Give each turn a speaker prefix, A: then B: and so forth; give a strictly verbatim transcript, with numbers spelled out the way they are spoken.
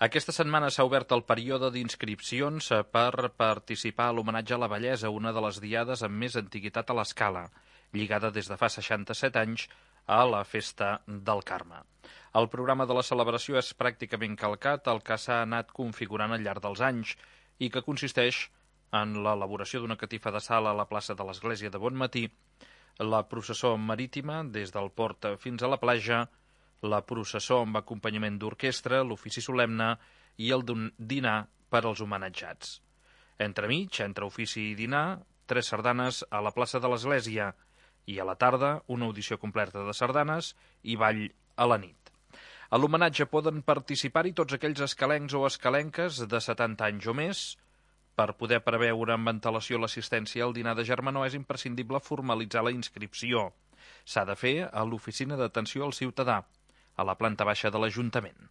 A: Aquesta setmana s'ha obert el període d'inscripcions per participar a l'homenatge a la bellesa, una de les diades amb més antiguitat a l'Escala, lligada des de fa seixanta-set anys a la Festa del Carme. El programa de la celebració és pràcticament calcat al que s'ha anat configurant al llarg dels anys i que consisteix en l'elaboració d'una catifa de sal a la plaça de l'Església de Bonmatí, la processó marítima des del port fins a la platja, la processó amb acompanyament d'orquestra, l'ofici solemne i el dinar per als homenatjats. Entremig, entre ofici i dinar, tres sardanes a la plaça de l'Església i a la tarda una audició completa de sardanes i ball a la nit. A l'homenatge poden participar-hi tots aquells escalencs o escalenques de setanta anys o més. Per poder preveure amb antelació l'assistència al dinar de germanor és imprescindible formalitzar la inscripció. S'ha de fer a l'Oficina d'Atenció al Ciutadà, a la planta baixa de l'Ajuntament.